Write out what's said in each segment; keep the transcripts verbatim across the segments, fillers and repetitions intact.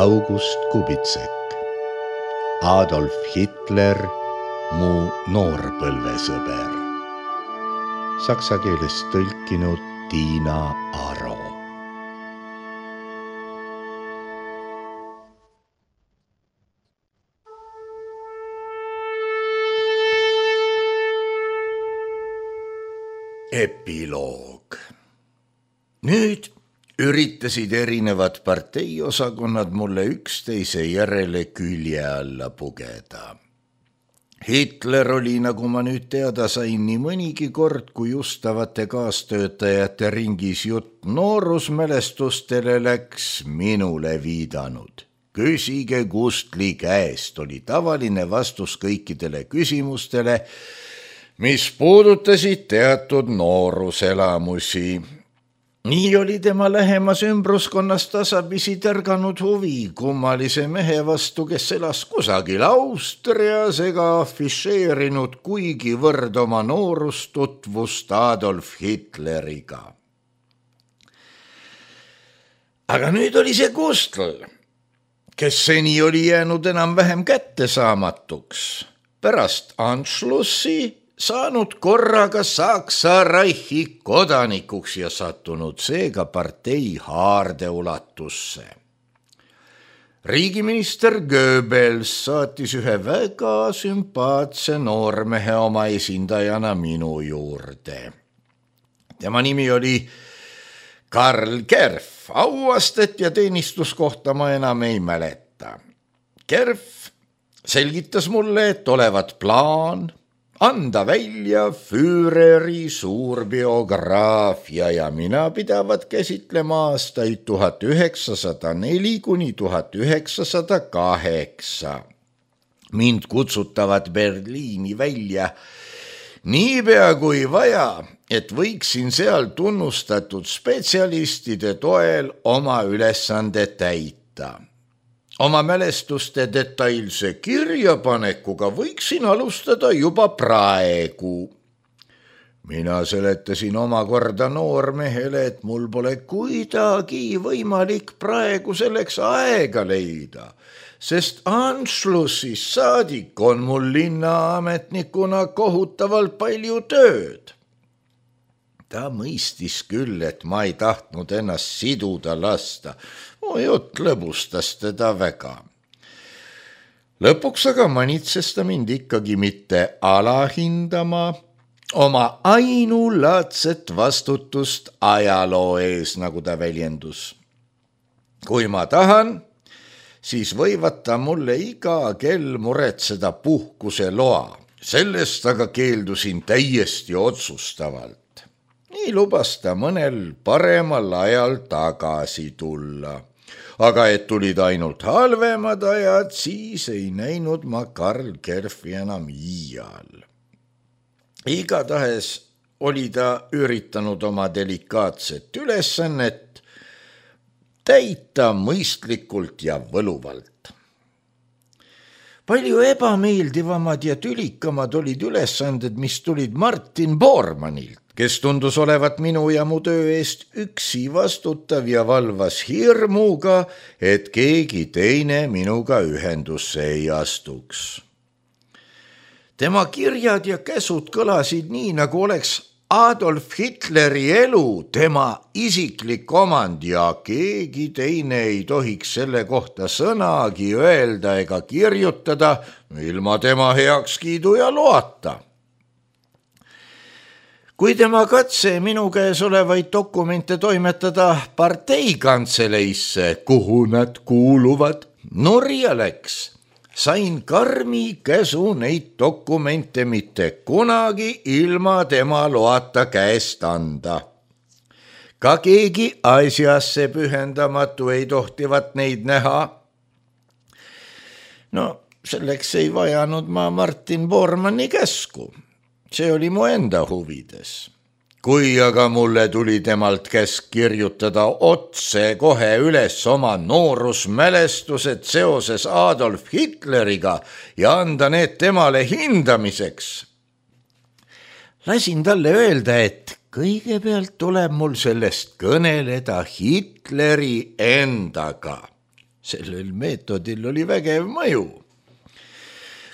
August Kubitsek. Adolf Hitler, mu noorpõlvesõber. Saksa keelest tõlkinud Tiina Aro. Epiloog. Nüüd üritasid erinevad parteiosakonnad mulle üksteise järele külje alla pugeda. Hitler oli, nagu ma nüüd teada sain, nii mõnigi kord, kui justavate kaastöötajate ringis jutt noorusmälestustele läks, minule viidanud. Küsige Gustli käest oli tavaline vastus kõikidele küsimustele, mis puudutasid teatud nooruselamusi. Nii oli tema lähemas ümbruskonnas tasapisi tärganud huvi kummalise mehe vastu, kes elas kusagil Austrias ega afišeerinud kuigivõrd oma noorustutvust Adolf Hitleriga. Aga nüüd oli see Gustl, kes seni oli jäänud enam-vähem kättesaamatuks. Pärast Anschlussi saanud korraga Saksa Reichi kodanikuks ja sattunud seega partei haardeulatusse. Riigiminister Goebbels saatis ühe väga sümpaatse noormehe oma esindajana minu juurde. Tema nimi oli Karl Kerf, auastet ja teenistuskohta ma enam ei mäleta. Kerf selgitas mulle, et olevat plaan anda välja Führeri suur biograafia ja mina pidavat käsitlema aastaid tuhat üheksasada neli kuni tuhat üheksasada kaheksa. Mind kutsutavat Berliini välja niipea kui vaja, et võiksin seal tunnustatud spetsialistide toel oma ülesande täita. Oma mälestuste detailse kirjapanekuga võiksin alustada juba praegu. Mina seletasin omakorda noormehele, et mul pole kuidagi võimalik praegu selleks aega leida, sest Anschlussis saadik on mul linnaametnikuna kohutavalt palju tööd. Ta mõistis küll, et ma ei tahtnud ennast siduda lasta. Mu jutt lõbustas teda väga. Lõpuks aga manitses ta mind ikkagi mitte alahindama oma ainulaadset vastutust ajaloo ees, nagu ta väljendus. Kui ma tahan, siis võivad ta mulle iga kell muretseda puhkuse loa. Sellest aga keeldusin täiesti otsustavalt. Nii lubas ta mõnel paremal ajal tagasi tulla. Aga et tulid ainult halvemad ajad, siis ei näinud ma Karl Kerfi enam iial. Igatahes oli ta üritanud oma delikaatset ülesannet täita mõistlikult ja võluvalt. Palju ebameeldivamad ja tülikamad olid ülesanded, mis tulid Martin Bormannilt, kes tundus olevat minu ja mu töö eest üksi vastutav ja valvas hirmuga, et keegi teine minuga ühendusse ei astuks. Tema kirjad ja käsud kõlasid nii, nagu oleks Adolf Hitleri elu tema isiklik omand ja keegi teine ei tohiks selle kohta sõnagi öelda ega kirjutada ilma tema heakskiidu ja loata. Kui tema katse minu käes olevaid dokumente toimetada parteikantseleisse, kuhu nad kuuluvad, nurja läks, sain karmi käsu neid dokumente mitte kunagi ilma tema loata käest anda. Ka keegi asjasse pühendamatu ei tohtivat neid näha. No, selleks ei vajanud ma Martin Bormanni käsku. See oli mu enda huvides. Kui aga mulle tuli temalt käsk kirjutada otse kohe üles oma noorusmälestused seoses Adolf Hitleriga ja anda need temale hindamiseks, lasin talle öelda, et kõigepealt tuleb mul sellest kõneleda Hitleri endaga. Sellel meetodil oli vägev mõju.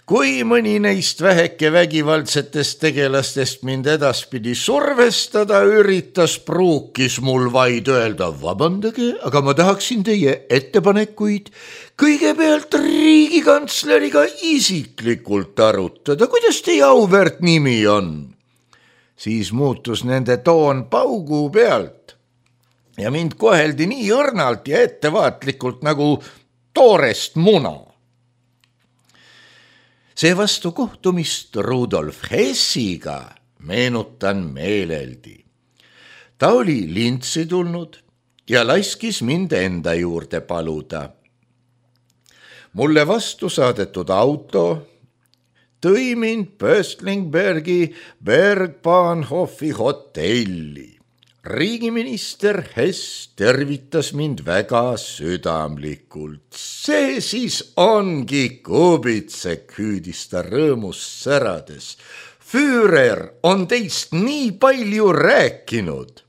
Kui mõni neist väheke vägivaldsetest tegelastest mind edaspidi survestada üritas, pruukis mul vaid öelda, vabandage, aga ma tahaksin teie ettepanekuid kõigepealt riigikantsleriga isiklikult arutada, kuidas teie auväärt nimi on. Siis muutus nende toon paugu pealt ja mind koheldi nii õrnalt ja ettevaatlikult nagu toorest muna. Seevastu kohtumist Rudolf Hessiga meenutan meeleldi. Ta oli lintsi tulnud ja laskis mind enda juurde paluda. Mulle vastu saadetud auto tõi mind Pöstlingbergi Bergbahnhofi hotelli. Riigiminister Hess tervitas mind väga südamlikult. See siis ongi Kubitsek, hüüdis ta rõõmus särades. Führer on teist nii palju rääkinud.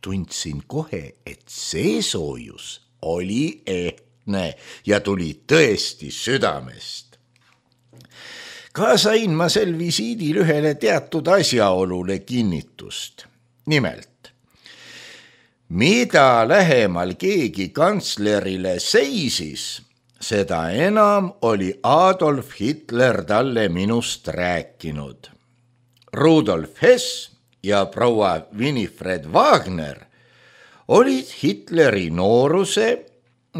Tundsin kohe, et see soojus oli ehtne ja tuli tõesti südamest. Ka sain ma sel visiidil ühele teatud asjaolule kinnitust. Nimelt, mida lähemal keegi kantslerile seisis, seda enam oli Adolf Hitler talle minust rääkinud. Rudolf Hess ja proua Winifred Wagner olid Hitleri nooruse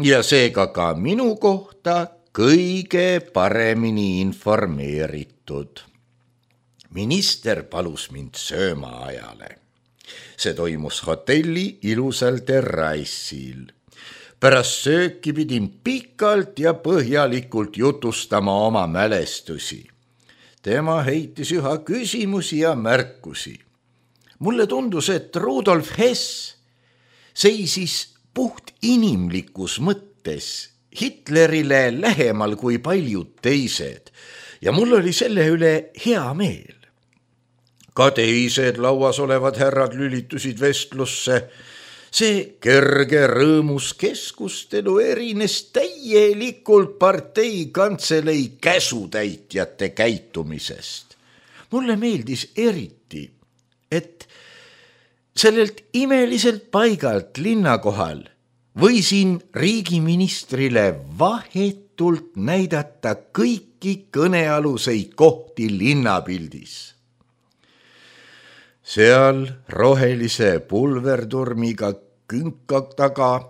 ja seega ka minu kohta kõige paremini informeeritud. Minister palus mind söömaajale. See toimus hotelli ilusal terrassil. Pärast sööki pidin pikalt ja põhjalikult jutustama oma mälestusi. Tema heitis üha küsimusi ja märkusi. Mulle tundus, et Rudolf Hess seisis puht inimlikus mõttes Hitlerile lähemal kui paljud teised ja mul oli selle üle hea meel. Ka teised lauas olevad härrad lülitusid vestlusse. See kerge rõõmus keskustelu erines täielikult partei kantselei käsutäitjate käitumisest. Mulle meeldis eriti, et sellelt imeliselt paigalt linnakohal võisin riigiministrile vahetult näidata kõiki kõnealuseid kohti linnapildis. Seal rohelise pulverturmiga künka taga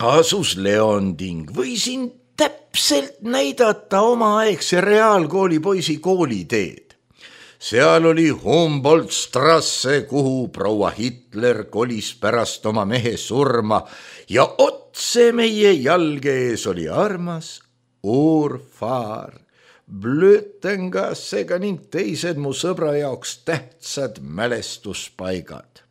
asus Leonding. Võisin täpselt näidata omaaegse reaalkooli poisi kooliteed. Seal oli Humboldt-strasse, kuhu proua Hitler kolis pärast oma mehe surma ja otse meie jalge ees oli armas Urfaar. Blötengassega ning teised mu sõbra jaoks tähtsad mälestuspaigad.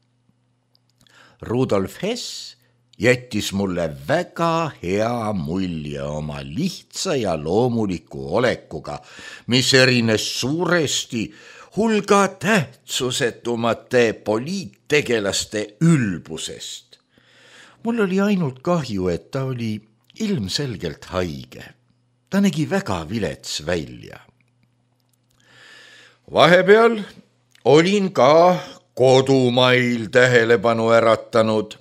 Rudolf Hess jättis mulle väga hea mulje oma lihtsa ja loomuliku olekuga, mis erines suuresti hulga tähtsusetumate poliittegelaste ülbusest. Mul oli ainult kahju, et ta oli ilmselgelt haige. Ta nägi väga vilets välja. Vahepeal olin ka kodumail tähelepanu äratanud.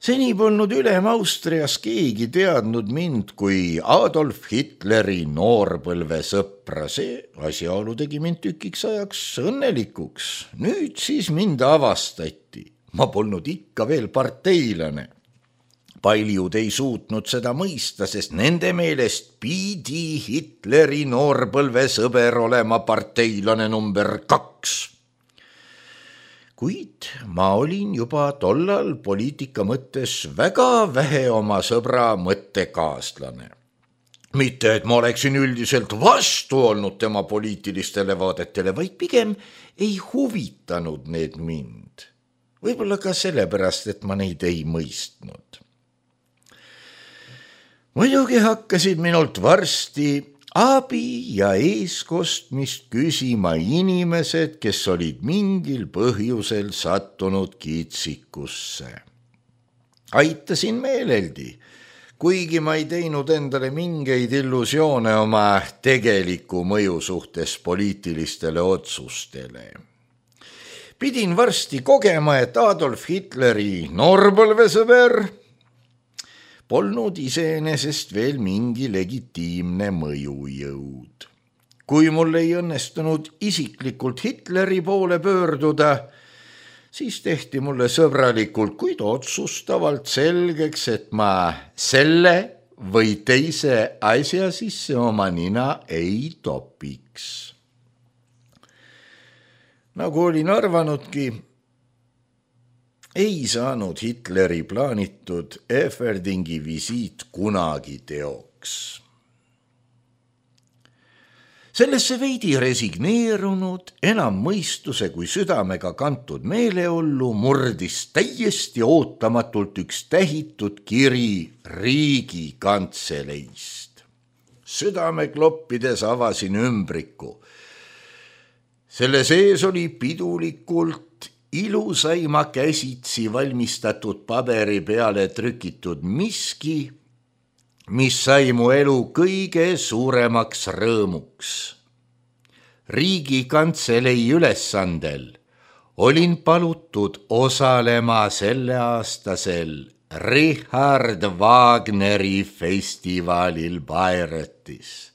Seni polnud ülem Austrias keegi teadnud mind kui Adolf Hitleri noorpõlve sõpra. See asjaolu tegi mind tükiks ajaks õnnelikuks. Nüüd siis mind avastati. Ma polnud ikka veel parteilane. Paljud ei suutnud seda mõista, sest nende meelest pidi Hitleri noorpõlve sõber olema parteilane number kaks. Kuid ma olin juba tollal poliitika mõttes väga vähe oma sõbra mõttekaaslane. Mitte, et ma oleksin üldiselt vastu olnud tema poliitilistele vaadetele, vaid pigem ei huvitanud need mind. Võib-olla ka sellepärast, et ma neid ei mõistnud. Muidugi hakkasid minult varsti abi ja eeskostmist küsima inimesed, kes olid mingil põhjusel sattunud kitsikusse. Aitasin meeleldi, kuigi ma ei teinud endale mingeid illusioone oma tegeliku mõju suhtes poliitilistele otsustele. Pidin varsti kogema, et Adolf Hitleri noorpõlvesõber polnud iseenesest veel mingi legitiimne mõjujõud. Kui mul ei õnnestunud isiklikult Hitleri poole pöörduda, siis tehti mulle sõbralikult, kuid otsustavalt selgeks, et ma selle või teise asja sisse oma nina ei topiks. Nagu olin arvanudki, ei saanud Hitleri plaanitud Eferdingi visiit kunagi teoks. Sellesse veidi resigneerunud, enam mõistuse kui südamega kantud meeleollu murdis täiesti ootamatult üks tähitud kiri Riigikantseleist. Südame kloppides avasin ümbriku. Selle sees oli pidulikult ilusaima käsitsi valmistatud paberi peale trükitud miski, mis sai mu elu kõige suuremaks rõõmuks. Riigikantselei ülesandel olin palutud osalema selleaastasel Richard Wagneri festivalil Bayreuthes.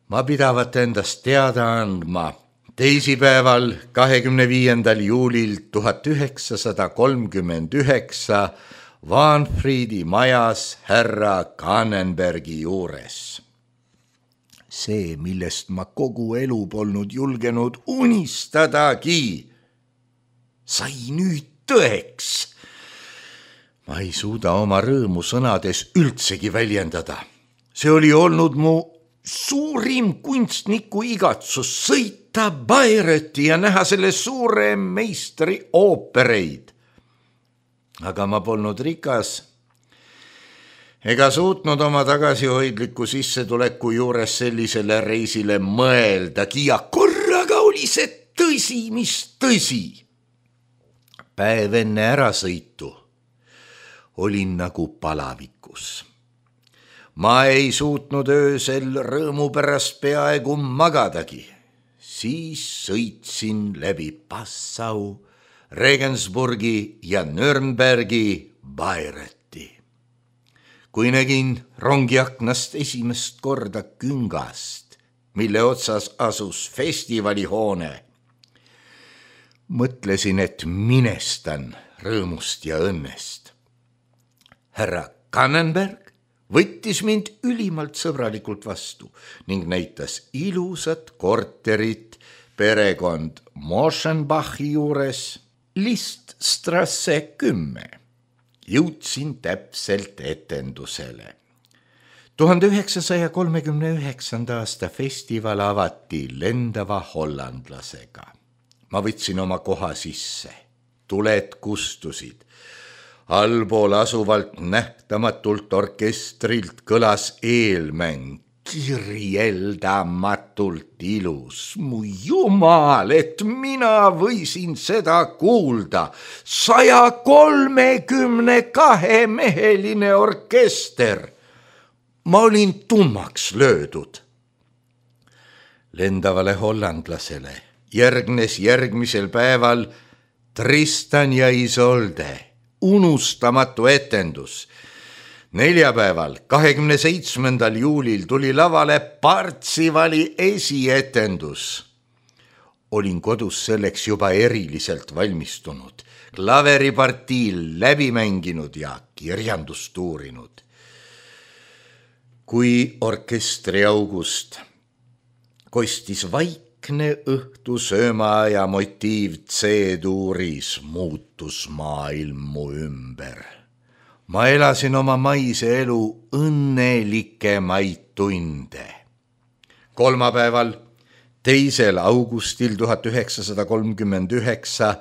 Ma pidavat endast teada andma teisipäeval, kahekümne viiendal juulil tuhat üheksasada kolmkümmend üheksa Wahnfriedi majas härra Kannenbergi juures. See, millest ma kogu elu polnud julgenud unistadagi, sai nüüd tõeks. Ma ei suuda oma rõõmu sõnades üldsegi väljendada. See oli olnud mu suurim kunstniku igatsus sõita Bayreuthi ja näha selle suure meistri oopereid. Aga ma polnud rikas ega suutnud oma tagasihoidliku sissetuleku juures sellisele reisile mõeldagi ja korraga oli see tõsi, mis tõsi. Päev enne ärasõitu olin nagu palavikus. Ma ei suutnud öösel rõõmu pärast peaaegu magadagi. Siis sõitsin läbi Passau, Regensburgi ja Nürnbergi Bayreuthi. Kui nägin rongiaknast esimest korda küngast, mille otsas asus festivalihoone, mõtlesin, et minestan rõõmust ja õnnest. Härra Kannenberg võttis mind ülimalt sõbralikult vastu ning näitas ilusat korterit perekond Moschenbachi juures Liststrasse kümme. Jõudsin täpselt etendusele. tuhande üheksasaja kolmekümne üheksanda aasta festival avati lendava hollandlasega. Ma võtsin oma koha sisse. Tuled kustusid. Allpool asuvalt nähtamatult orkestrilt kõlas eelmäng, kirjeldamatult ilus. Mu jumal, et mina võisin seda kuulda. saja kolmekümne kahe meheline orkester. Ma olin tummaks löödud. Lendavale hollandlasele järgnes järgmisel päeval Tristan ja Isolde. Unustamatu etendus. Neljapäeval, kahekümne seitsmendal juulil tuli lavale Partsivali esietendus. Olin kodus selleks juba eriliselt valmistunud, klaveripartiil läbi mänginud ja kirjandust uurinud. Kui orkestri august kostis vaikne õhtu söömaaja motiiv C-tuuris, muutus maailm mu ümber. Ma elasin oma maise elu õnnelikemaid tunde. Kolmapäeval, teisel augustil tuhat üheksasada kolmkümmend üheksa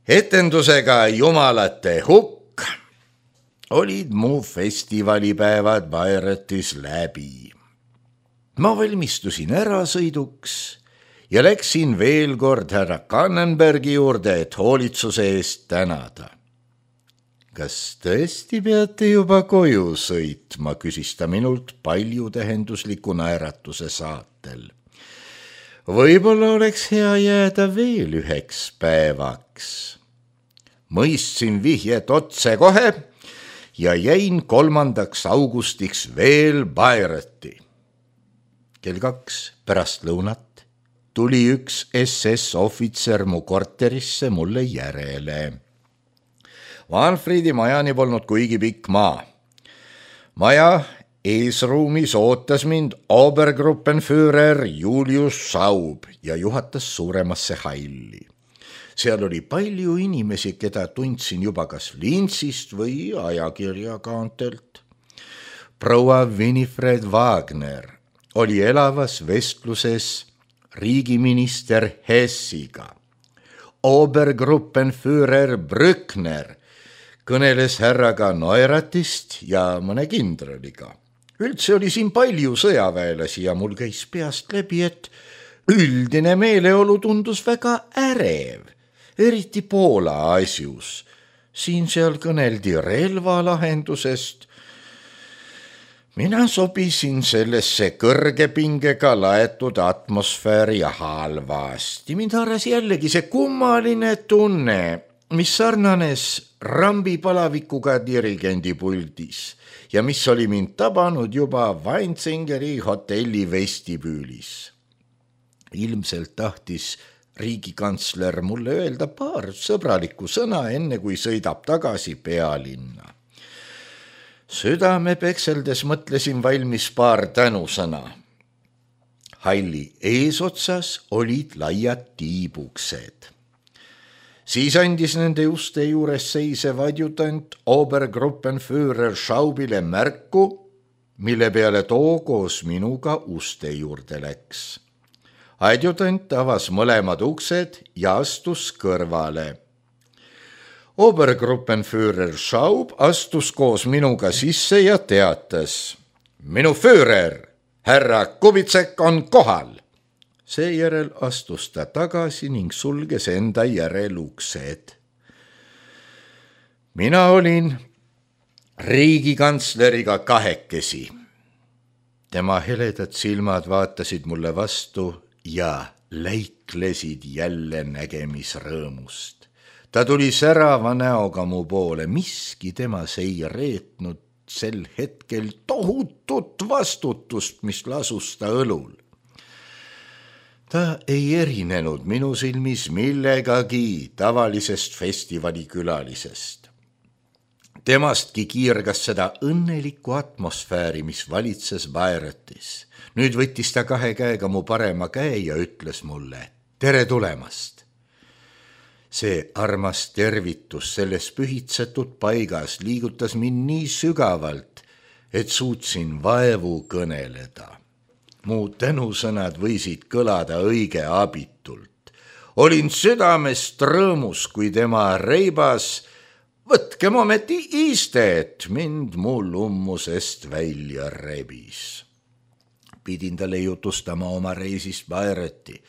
etendusega Jumalate hukk olid mu festivalipäevad Bayreuthis läbi. Ma valmistusin ärasõiduks ja läksin veel kord härra Kannenbergi juurde, et hoolitsuse eest tänada. Kas tõesti peate juba koju sõitma, küsis ta minult paljutähendusliku naeratuse saatel. Võib-olla oleks hea jääda veel üheks päevaks. Mõistsin vihjet otse kohe ja jäin kolmandaks augustiks veel Bayreuthi. Kell kaks pärast lõunat tuli üks S S ohvitser mu korterisse mulle järele. Manfredi majani polnud kuigi pikk maa. Maja eesruumis ootas mind Obergruppenführer Julius Schaub ja juhatas suuremasse halli. Seal oli palju inimesi, keda tundsin juba kas Lintsist või ajakirjakaantelt. Proua Winifred Wagner oli elavas vestluses riigiminister Hessiga. Obergruppenführer Brückner kõneles härraga Neuratist ja mõne kindraliga. Üldse oli siin palju sõjaväelasi ja mul käis peast läbi, et üldine meeleolu tundus väga ärev, eriti Poola asjus. Siin-seal kõneldi relvalahendusest. Mina sobisin sellesse kõrgepingega laetud atmosfääri ja halvasti. Mind haaras jällegi see kummaline tunne, mis sarnanes rambipalavikuga dirigendi puldis ja mis oli mind tabanud juba Weinzingeri hotelli vestibüülis. Ilmselt tahtis riigikantsler mulle öelda paar sõbralikku sõna, enne kui sõidab tagasi pealinna. Südame pekseldes mõtlesin valmis paar tänusõna. Halli eesotsas olid laiad tiibuksed. Siis andis nende uste juures seisev adjutant Obergruppenführer Schaubile märku, mille peale too koos minuga uste juurde läks. Adjutant avas mõlemad uksed ja astus kõrvale. Obergruppenführer Schaub astus koos minuga sisse ja teatas: Minu Führer, härra Kubitsek on kohal. Seejärel astus ta tagasi ning sulges enda järel uksed. Mina olin riigikantsleriga kahekesi. Tema heledad silmad vaatasid mulle vastu ja läiklesid jälle nägemisrõõmust. Ta tuli särava näoga mu poole, miski temas ei reetnud sel hetkel tohutut vastutust, mis lasus ta õlul. Ta ei erinenud minu silmis millegagi tavalisest festivalikülalisest. Temastki kiirgas seda õnnelikku atmosfääri, mis valitses Bayreuthis. Nüüd võttis ta kahe käega mu parema käe ja ütles mulle: tere tulemast! See armas tervitus selles pühitsetud paigas liigutas mind nii sügavalt, et suutsin vaevu kõneleda. Mu tänusõnad võisid kõlada õige abitult. Olin südamest rõõmus, kui tema reibas: võtke momenti istet, mind mu lummusest välja rebis. Pidin talle jutustama oma reisist Bayreuthi,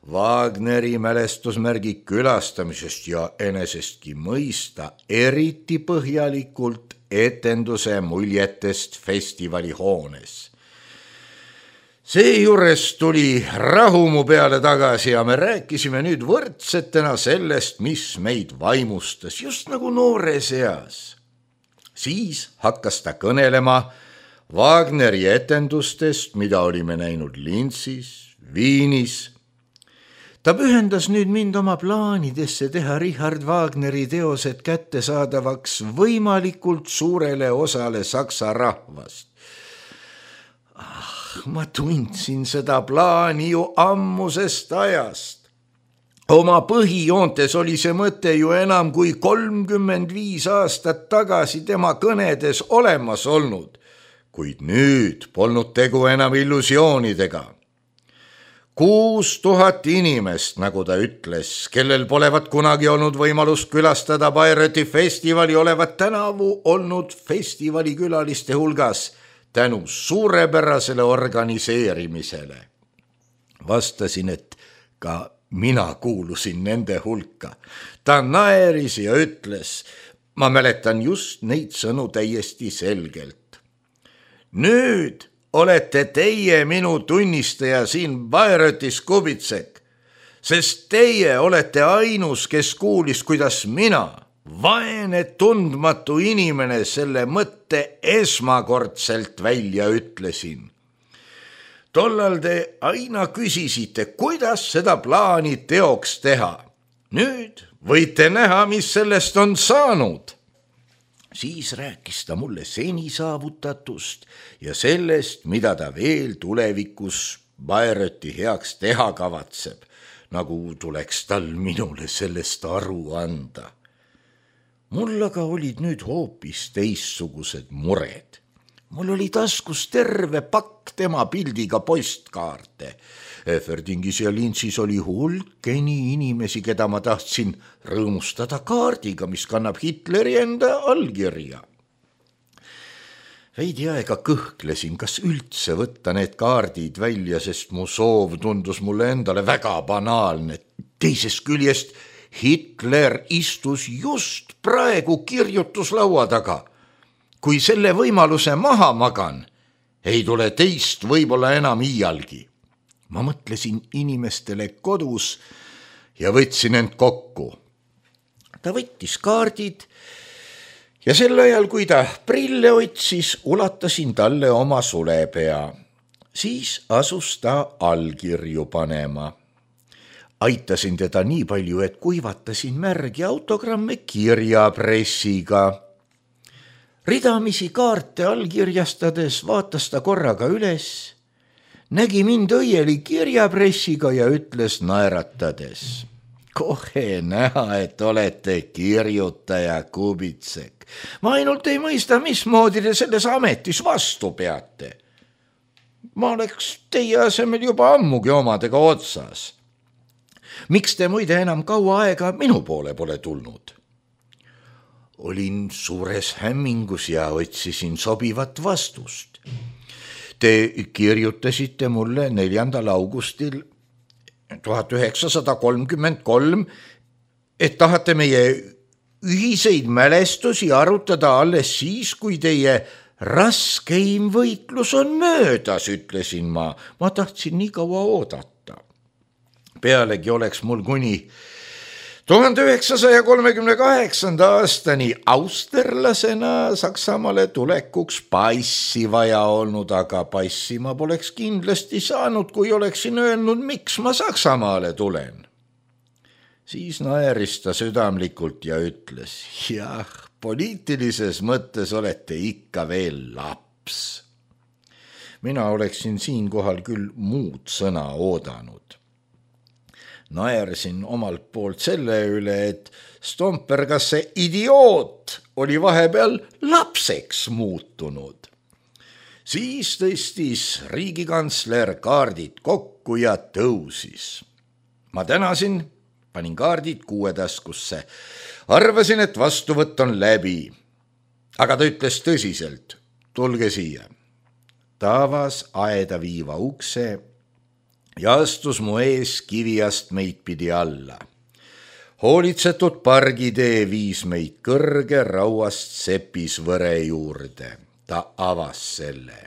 Wagneri mälestusmärgi külastamisest ja enesestki mõista eriti põhjalikult etenduse muljetest festivalihoones. Seejuures tuli rahu mu peale tagasi ja me rääkisime nüüd võrdsetena sellest, mis meid vaimustas, just nagu noores eas. Siis hakkas ta kõnelema Wagneri etendustest, mida olime näinud Linzis, Viinis. Ta pühendas nüüd mind oma plaanidesse teha Richard Wagneri teosed kättesaadavaks võimalikult suurele osale saksa rahvast. Ah, ma tundsin seda plaani ju ammusest ajast. Oma põhijoontes oli see mõte ju enam kui kolmkümmend viis aastat tagasi tema kõnedes olemas olnud, kuid nüüd polnud tegu enam illusioonidega. Kuus tuhat inimest, nagu ta ütles, kellel polevat kunagi olnud võimalust külastada Bayreuthi festivali, olevat tänavu olnud festivalikülaliste hulgas tänu suurepärasele organiseerimisele. Vastasin, et ka mina kuulusin nende hulka. Ta naeris ja ütles: ma mäletan just neid sõnu täiesti selgelt. Nüüd olete teie minu tunnistaja siin Bairotis, Kubitsek, sest teie olete ainus, kes kuulis, kuidas mina, vaene tundmatu inimene, selle mõtte esmakordselt välja ütlesin. Tollal te aina küsisite, kuidas seda plaani teoks teha. Nüüd võite näha, mis sellest on saanud. Siis rääkis ta mulle seni saavutatust ja sellest, mida ta veel tulevikus Bairoti heaks teha kavatseb, nagu tuleks tal minule sellest aru anda. Mul aga olid nüüd hoopis teistsugused mured. Mul oli taskus terve pakk tema pildiga postkaarte. Eferdingis ja Lintsis oli hulkeni inimesi, keda ma tahtsin rõõmustada kaardiga, mis kannab Hitleri enda allkirja. Veidi aega kõhklesin, kas üldse võtta need kaardid välja, sest mu soov tundus mulle endale väga banaalne. Teisest küljest Hitler istus just praegu kirjutuslaua taga. Kui selle võimaluse maha magan, ei tule teist võib-olla enam iialgi. Ma mõtlesin inimestele kodus ja võtsin end kokku. Ta võttis kaardid ja sel ajal, kui ta prille otsis, ulatasin talle oma sulepea. Siis asus ta allkirju panema. Aitasin teda nii palju, et kuivatasin märgi autogramme kirjapressiga. Ridamisi kaarte allkirjastades vaatas ta korraga üles, nägi mind õieli kirjapressiga ja ütles naeratades. Kohe näha, et olete kirjutaja, Kubitsek. Ma ainult ei mõista, mismoodi te selles ametis vastu peate. Ma oleks teie asemel juba ammugi omadega otsas. Miks te muide enam kaua aega minu poole pole tulnud? Olin suures hämmingus ja otsisin sobivat vastust. Te kirjutasite mulle neljandal augustil tuhat üheksasada kolmkümmend kolm, et tahate meie ühiseid mälestusi arutada alles siis, kui teie raskeim võitlus on möödas, ütlesin ma. Ma tahtsin nii kaua oodata. Pealegi oleks mul kuni tuhande üheksasaja kolmekümne kaheksanda aastani austerlasena Saksamaale tulekuks passi vaja olnud, aga passi ma poleks kindlasti saanud, kui oleksin öelnud, miks ma Saksamaale tulen. Siis naeris ta südamlikult ja ütles, jah, poliitilises mõttes olete ikka veel laps. Mina oleksin siinkohal küll muud sõna oodanud. Naersin omalt poolt selle üle, et Stomper, kas see idioot oli vahepeal lapseks muutunud. Siis tõstis riigikantsler kaardid kokku ja tõusis. Ma tänasin, panin kaardid kuuetaskusse. Arvasin, et vastuvõtt on läbi. Aga ta ütles tõsiselt, tulge siia. Ta avas aeda viiva ukse ja astus mu ees kiviast meid pidi alla. Hoolitsetud pargitee viis meid kõrge rauast sepisvõre juurde. Ta avas selle.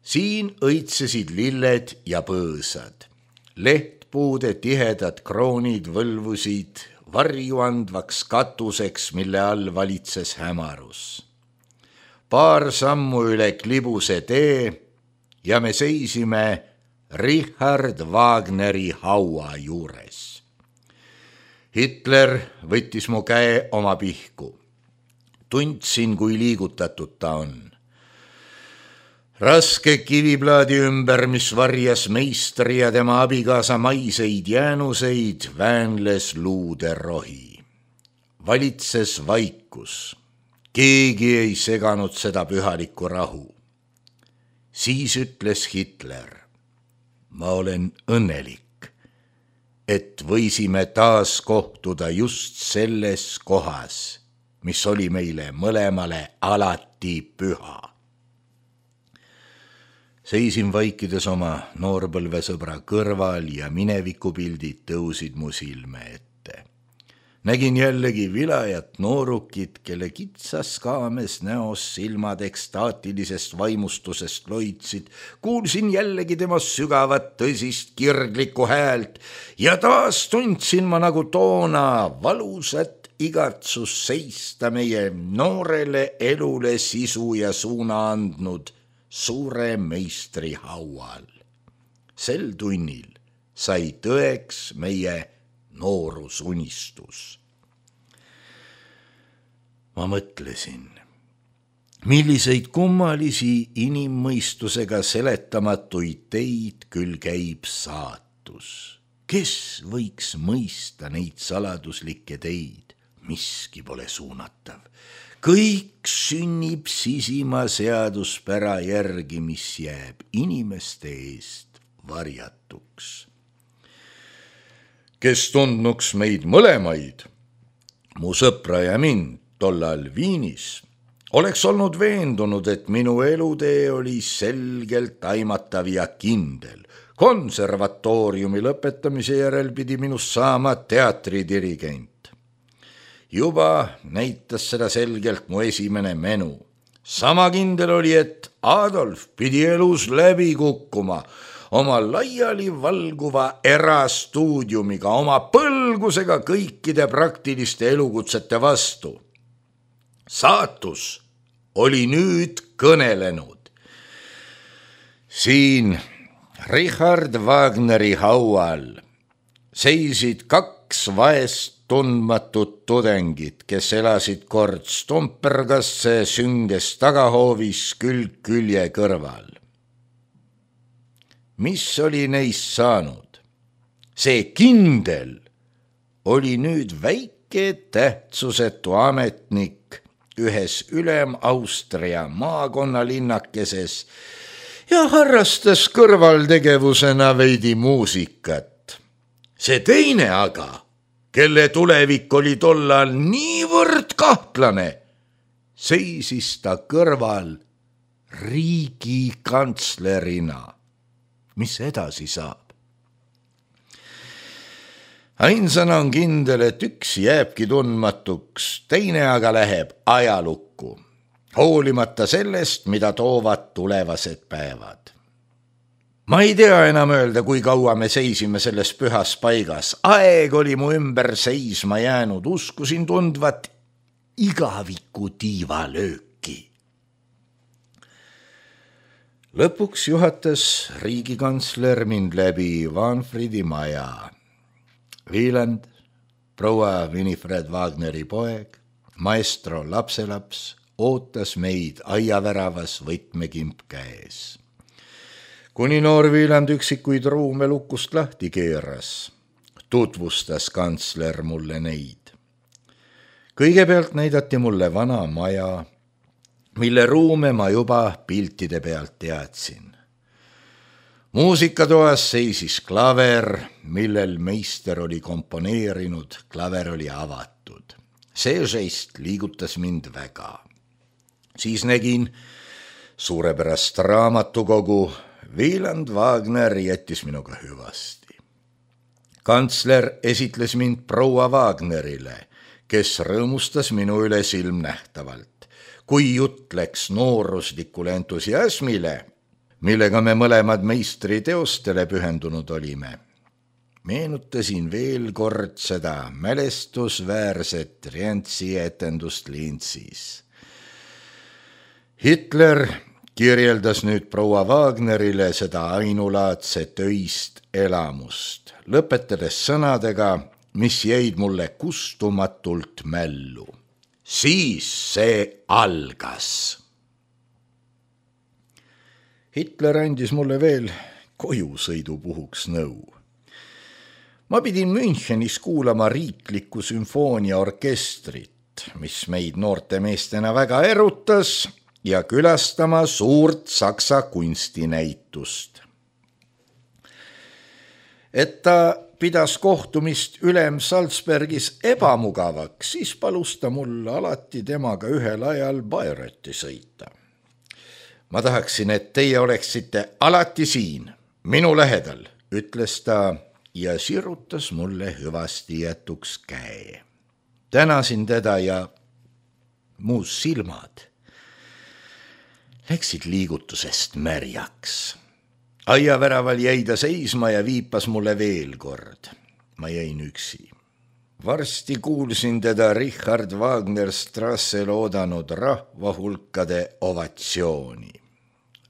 Siin õitsesid lilled ja põõsad. Lehtpuude tihedad kroonid võlvusid varjuandvaks katuseks, mille all valitses hämarus. Paar sammu üle klibuse tee ja me seisime Richard Wagneri haua juures. Hitler võttis mu käe oma pihku. Tundsin, kui liigutatud ta on. Raske kiviplaadi ümber, mis varjas meistri ja tema abikaasa maiseid jäänuseid, väänles luude rohi. Valitses vaikus. Keegi ei seganud seda pühalikku rahu. Siis ütles Hitler, ma olen õnnelik, et võisime taas kohtuda just selles kohas, mis oli meile mõlemale alati püha. Seisin vaikides oma noorpõlvesõbra kõrval ja minevikupildid tõusid mu silme ette. Nägin jällegi vilajat noorukit, kelle kitsas kaames näos silmad ekstaatilisest vaimustusest loitsid. Kuulsin jällegi temast sügavat tõsist kirglikku häält ja taas tundsin ma nagu toona valusat igatsus seista meie noorele elule sisu ja suuna andnud suure meistri haual. Sel tunnil sai tõeks meie noorusunistus. Ma mõtlesin, milliseid kummalisi inimmõistusega seletamatuid teid küll käib saatus. Kes võiks mõista neid saladuslikke teid? Miski pole suunatav. Kõik sünnib sisima seaduspära järgi, mis jääb inimeste eest varjatuks. Kes tundnuks meid mõlemaid, mu sõpra ja mind tollal Viinis, oleks olnud veendunud, et minu elutee oli selgelt aimatav ja kindel. Konservatooriumi lõpetamise järel pidi minust saama teatridirigent. Juba näitas seda selgelt mu esimene menu. Sama kindel oli, et Adolf pidi elus läbi kukkuma, oma laiali valguva erastuudiumiga, oma põlgusega kõikide praktiliste elukutsete vastu. Saatus oli nüüd kõnelenud. Siin Richard Wagneri haual seisid kaks vaest tundmatut tudengit, kes elasid kord Stompergasse sünges tagahoovis külg külje kõrval. Mis oli neist saanud? See kindel oli nüüd väike tähtsusetu ametnik ühes Ülem-Austria maakonnalinnakkeses ja harrastas kõrvaltegevusena veidi muusikat. See teine aga, kelle tulevik oli tollal niivõrd kahtlane, seisis ta kõrval riigikantslerina. Mis edasi saab? Ainsana on kindel, et üks jääbki tundmatuks, teine aga läheb ajalukku, hoolimata sellest, mida toovad tulevased päevad. Ma ei tea enam öelda, kui kaua me seisime selles pühas paigas. Aeg oli mu ümber seisma jäänud, uskusin tundvat igaviku tiivalööki. Lõpuks juhatas riigikantsler mind läbi Wahnfriedi maja. Wieland, proua Winifred Wagneri poeg, maestro lapselaps, ootas meid aiaväravas võtmekimp käes. Kuni noor Wieland üksikuid ruume lukust lahti keeras, tutvustas kantsler mulle neid. Kõigepealt näidati mulle vana maja, mille ruume ma juba piltide pealt teadsin. Muusikatoas seisis klaver, millel meister oli komponeerinud, klaver oli avatud. See žest liigutas mind väga. Siis nägin suurepärast raamatukogu. Wieland Wagner jättis minuga hüvasti. Kantsler esitles mind proua Wagnerile, kes rõõmustas minu üle silmnähtavalt. Kui jutt läks nooruslikule entusiasmile, millega me mõlemad meistri teostele pühendunud olime, meenutasin veel kord seda mälestusväärset Rientsi etendust Linzis. Hitler kirjeldas nüüd proua Wagnerile seda ainulaadset öist elamust, lõpetades sõnadega, mis jäid mulle kustumatult mällu. Siis see algas. Hitler andis mulle veel kojusõidu puhuks nõu. Ma pidin Münchenis kuulama riiklikku sümfooniaorkestrit, mis meid noorte meestena väga erutas, ja külastama suurt saksa kunstinäitust. Et ta pidas kohtumist ülem Salzbergis ebamugavaks, siis palus ta mul alati temaga ühel ajal Bayreuthi sõita. Ma tahaksin, et teie oleksite alati siin, minu lähedal, ütles ta ja sirutas mulle hüvasti jätuks käe. tänasin teda ja muus silmad läksid liigutusest märjaks. Aiaväraval jäi ta seisma ja viipas mulle veel kord. Ma jäin üksi. Varsti kuulsin teda Richard Wagner Strassel oodanud rahvahulkade ovatsiooni.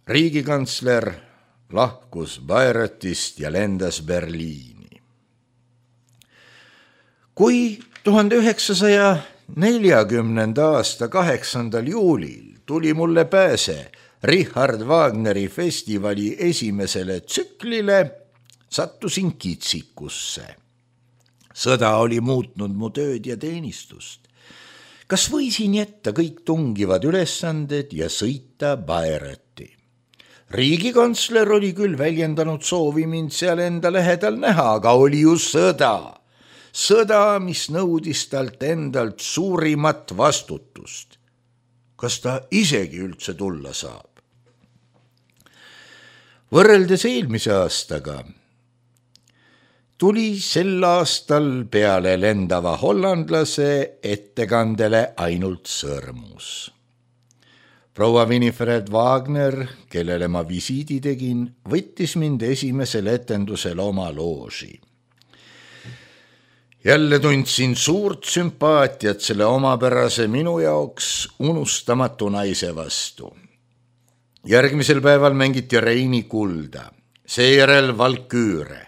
Riigikantsler lahkus Bayreuthist ja lendas Berliini. Kui tuhande üheksasaja neljakümnenda aasta kaheksandal juulil tuli mulle pääse Richard Wagneri festivali esimesele tsüklile, sattusin kitsikusse. Sõda oli muutnud mu tööd ja teenistust. Kas võisin jätta kõik tungivad ülesanded ja sõita Bayreuthi? Riigikantsler oli küll väljendanud soovi mind seal enda lähedal näha, aga oli ju sõda. Sõda, mis nõudis talt endalt suurimat vastutust. Kas ta isegi üldse tulla saab? Võrreldes eelmise aastaga tuli sel aastal peale lendava hollandlase ettekandele ainult sõrmus. Proua Winifred Wagner, kellele ma visiidi tegin, võttis mind esimesel etendusel oma looži. Jälle tundsin suurt sümpaatiat selle omapärase minu jaoks unustamatu naise vastu. Järgmisel päeval mängiti Reini kulda, seejärel Valküüre.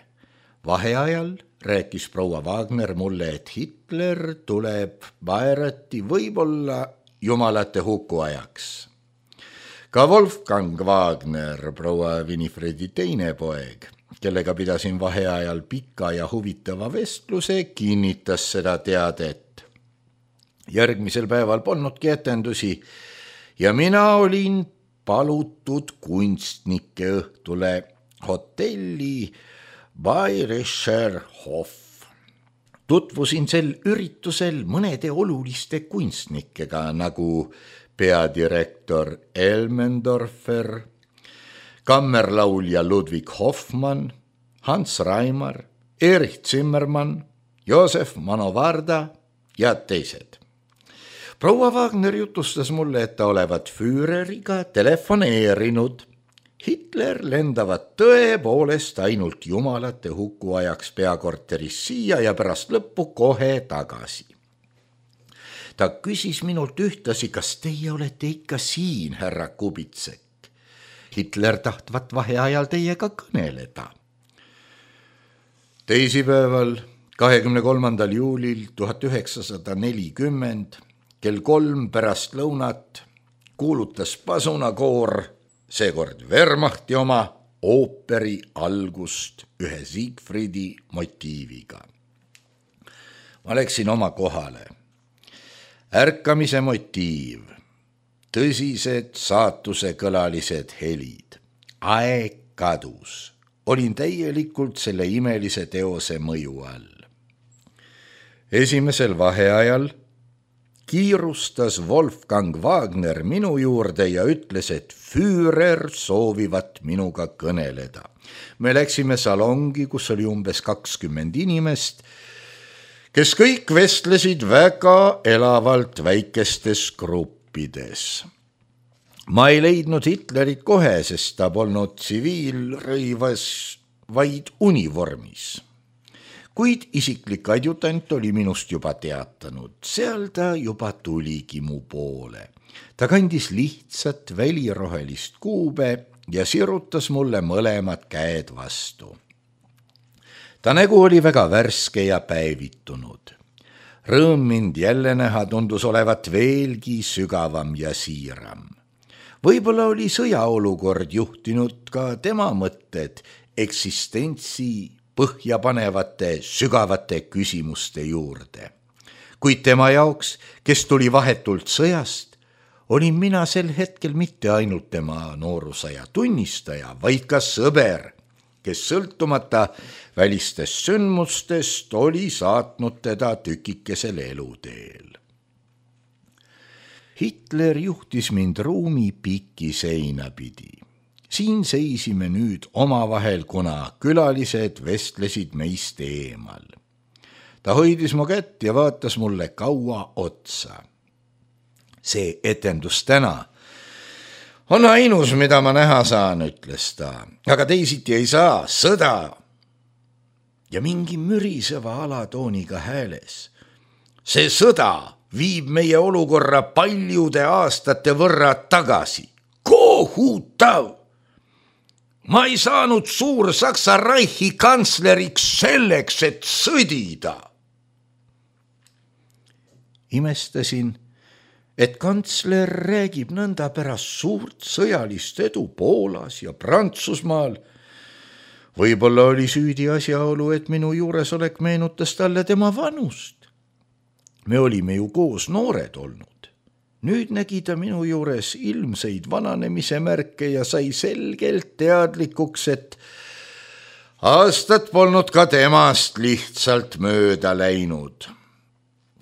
Vaheajal rääkis proua Wagner mulle, et Hitler tuleb Bayreuthi võib-olla jumalate hukuajaks. Ka Wolfgang Wagner, proua Winifredi teine poeg, kellega pidasin vaheajal pika ja huvitava vestluse, kinnitas seda teadet. Järgmisel päeval polnudki etendusi ja mina olin palutud kunstnike õhtule hotelli Bayerischer Hof. Tutvusin sel üritusel mõnede oluliste kunstnikega nagu peadirektor Elmendorfer, kammerlaulja Ludwig Hoffmann, Hans Raimar, Erich Zimmermann, Josef Manovarda ja teised. Proua Wagner jutustas mulle, et ta olevat Führeriga telefoneerinud. Hitler lendavat tõepoolest ainult jumalate hukuajaks peakorteris siia ja pärast lõppu kohe tagasi. Ta küsis minult ühtlasi, kas teie olete ikka siin, härra Kubitsek. Hitler tahtvat vaheajal teiega kõneleda. Teisipäeval, kahekümne kolmandal juulil tuhat üheksasada nelikümmend, kell kolm pärast lõunat kuulutas pasunakoor, seekord Wehrmachti oma, ooperi algust ühe Siegfriedi motiiviga. Ma läksin oma kohale. Ärkamise motiiv, tõsised saatusekõlalised helid, aeg kadus. Olin täielikult selle imelise teose mõju all. Esimesel vaheajal kiirustas Wolfgang Wagner minu juurde ja ütles, et Führer soovivat minuga kõneleda. Me läksime salongi, kus oli umbes kakskümmend inimest, kes kõik vestlesid väga elavalt väikestes gruppides. Ma ei leidnud Hitlerit kohe, sest ta polnud tsiviilrõivas, vaid univormis. Kuid isiklik adjutant oli minust juba teatanud, seal ta juba tuligi mu poole. Ta kandis lihtsat välirohelist kuube ja sirutas mulle mõlemad käed vastu. Ta nägu oli väga värske ja päevitunud. Rõõm mind jälle näha tundus olevat veelgi sügavam ja siiram. Võib-olla oli sõjaolukord juhtinud ka tema mõtted eksistentsi põhjapanevate sügavate küsimuste juurde. Kuid tema jaoks, kes tuli vahetult sõjast, olin mina sel hetkel mitte ainult tema noorusaja tunnistaja, vaid ka sõber, kes sõltumata välistest sündmustest oli saatnud teda tükikesel eluteel. Hitler juhtis mind ruumi pikki seina pidi. Siin seisime nüüd omavahel, kuna külalised vestlesid meist eemal. Ta hoidis mu kätt ja vaatas mulle kaua otsa. See etendus täna on ainus, mida ma näha saan, ütles ta. Aga teisiti ei saa, sõda. Ja mingi müriseva alatooniga hääles. See sõda viib meie olukorra paljude aastate võrra tagasi. Kohutav! Ma ei saanud suur Saksa Reichi kantsleriks selleks, et sõdida. Imestasin, et kantsler räägib nõnda pärast suurt sõjalist edu Poolas ja Prantsusmaal. Võib-olla oli süüdi asjaolu, et minu juuresolek meenutas talle tema vanust. Me olime ju koos noored olnud. Nüüd nägi ta minu juures ilmseid vananemise märke ja sai selgelt teadlikuks, et aastad polnud ka temast lihtsalt mööda läinud.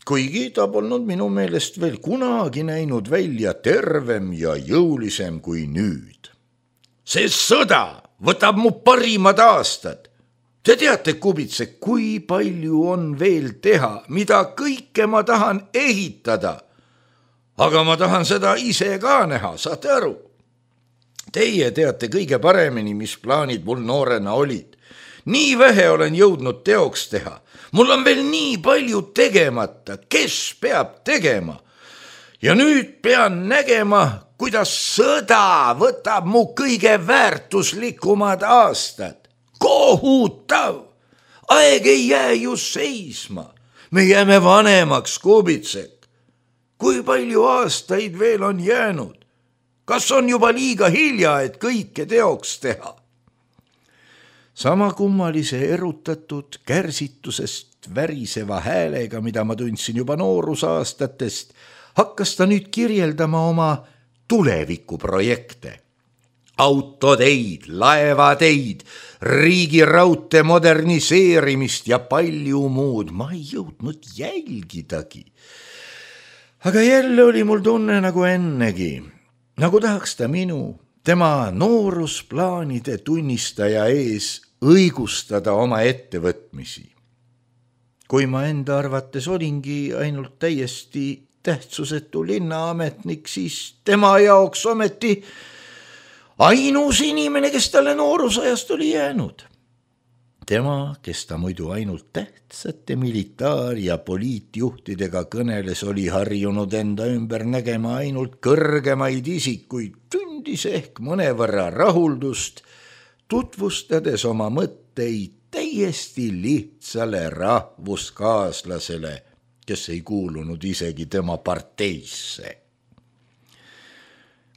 Kuigi ta polnud minu meelest veel kunagi näinud välja tervem ja jõulisem kui nüüd. See sõda võtab mu parimad aastad. Te teate, Kubitsek, kui palju on veel teha, mida kõike ma tahan ehitada. Aga ma tahan seda ise ka näha, saate aru? Teie teate kõige paremini, mis plaanid mul noorena olid. Nii vähe olen jõudnud teoks teha. Mul on veel nii palju tegemata, kes peab tegema. Ja nüüd pean nägema, kuidas sõda võtab mu kõige väärtuslikumad aastad. Kohutav! Aeg ei jää ju seisma. Me jääme vanemaks, Kubitsek. Kui palju aastaid veel on jäänud? Kas on juba liiga hilja, et kõike teoks teha? Sama kummalise erutatud kärsitusest väriseva häälega, mida ma tundsin juba noorusaastatest, hakkas ta nüüd kirjeldama oma tulevikuprojekte. Autoteid, laevateid, riigiraudte moderniseerimist ja palju muud. Ma ei jõudnud jälgidagi. Aga jälle oli mul tunne nagu ennegi, nagu tahaks ta minu, tema noorusplaanide tunnistaja ees õigustada oma ettevõtmisi. Kui ma enda arvates olingi ainult täiesti tähtsusetu linnaametnik, siis tema jaoks ometi ainus inimene, kes talle noorusajast oli jäänud. Tema, kes ta muidu ainult tähtsate militaar- ja poliitjuhtidega kõneles, oli harjunud enda ümber nägema ainult kõrgemaid isikuid, tundis ehk mõnevõrra rahuldust, tutvustades oma mõtteid täiesti lihtsale rahvuskaaslasele, kes ei kuulunud isegi tema parteisse.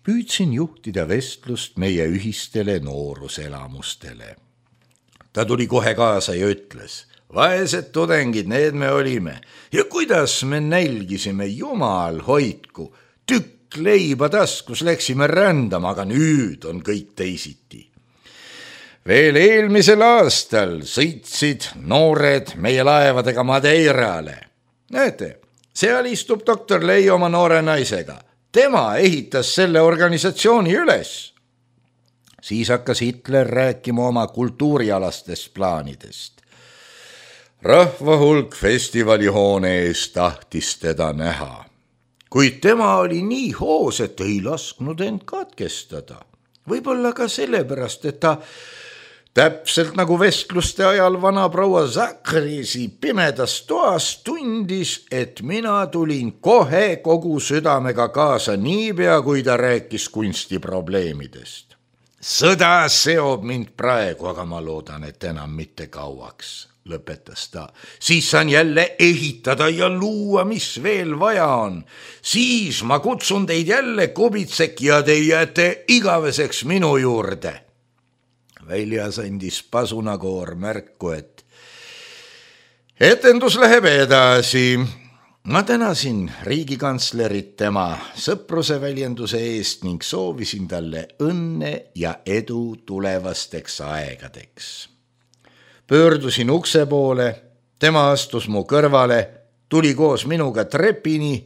Püüdsin juhtida vestlust meie ühistele nooruselamustele. Ta tuli kohe kaasa ja ütles, vaesed tudengid, need me olime. Ja kuidas me nälgisime, jumal hoidku, tükk leiba taskus läksime rändama, aga nüüd on kõik teisiti. Veel eelmisel aastal sõitsid noored meie laevadega Madeirale. Näete, seal istub doktor Lei oma noore naisega. Tema ehitas selle organisatsiooni üles. Siis hakkas Hitler rääkima oma kultuurialastest plaanidest. Rahva hulk festivalihoone ees tahtis teda näha. Kuid tema oli nii hoos, et ei lasknud end katkestada. Võib-olla ka sellepärast, et ta täpselt nagu vestluste ajal vana proua Zakrisi pimedas toas tundis, et mina tulin kohe kogu südamega kaasa niipea, kui ta rääkis kunstiprobleemidest. Sõda seob mind praegu, aga ma loodan, et enam mitte kauaks, lõpetas ta. Siis saan jälle ehitada ja luua, mis veel vaja on. Siis ma kutsun teid jälle, Kubitsek, ja te jääte igaveseks minu juurde. Väljas andis pasunakoor märku, et etendus läheb edasi. Ma tänasin riigikantslerit tema sõpruse väljenduse eest ning soovisin talle õnne ja edu tulevasteks aegadeks. Pöördusin ukse poole, tema astus mu kõrvale, tuli koos minuga trepini,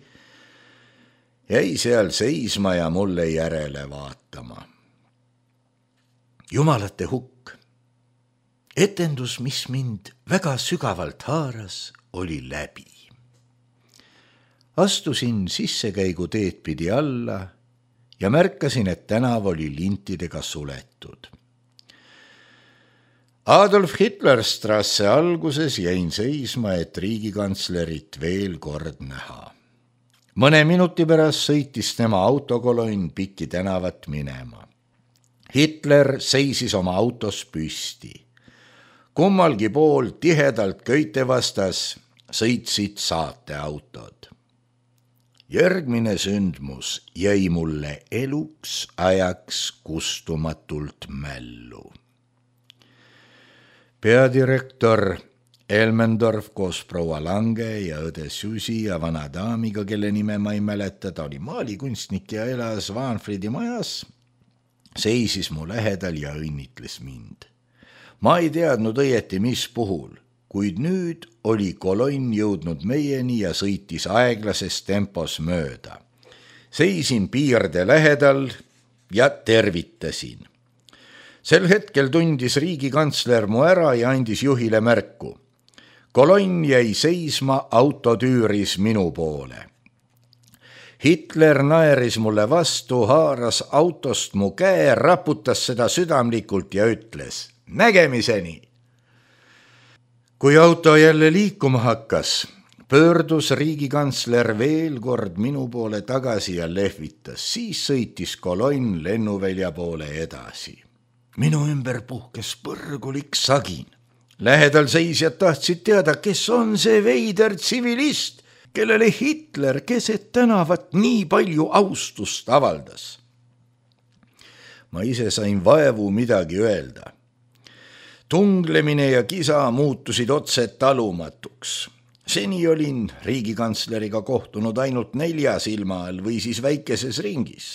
jäi seal seisma ja mulle järele vaatama. Jumalate hukk. Etendus, mis mind väga sügavalt haaras, oli läbi. Astusin sissekäigu teed pidi alla ja märkasin, et tänav oli lintidega suletud. Adolf Hitler strasse alguses jäin seisma, et riigikantslerit veel kord näha. Mõne minuti pärast sõitis tema autokolonn pikki tänavat minema. Hitler seisis oma autos püsti. Kummalgi pool tihedalt köite vastas sõitsid saateautod. Järgmine sündmus jäi mulle eluks ajaks kustumatult mällu. Peadirektor Elmendorf koos proua Lange ja õde Susi ja vana daamiga, kelle nime ma ei mäleta, ta oli maalikunstnik ja elas Vaanfridi majas, seisis mu lähedal ja õnnitles mind. Ma ei teadnud õieti, mis puhul, kuid nüüd oli kolonn jõudnud meieni ja sõitis aeglases tempos mööda. Seisin piirde lähedal ja tervitasin. Sel hetkel tundis riigikantsler mu ära ja andis juhile märku. Kolonn jäi seisma autotüüris minu poole. Hitler naeris mulle vastu, haaras autost mu käe, raputas seda südamlikult ja ütles nägemiseni. Kui auto jälle liikuma hakkas, pöördus riigikantsler veel kord minu poole tagasi ja lehvitas, siis sõitis kolonn lennuvälja poole edasi. Minu ümber puhkes põrgulik sagin. Lähedal seisjad tahtsid teada, kes on see veider tsivilist, kellele Hitler keset tänavat nii palju austust avaldas. Ma ise sain vaevu midagi öelda. Tunglemine ja kisa muutusid otse talumatuks. Seni olin riigikantsleriga kohtunud ainult nelja silma all või siis väikeses ringis.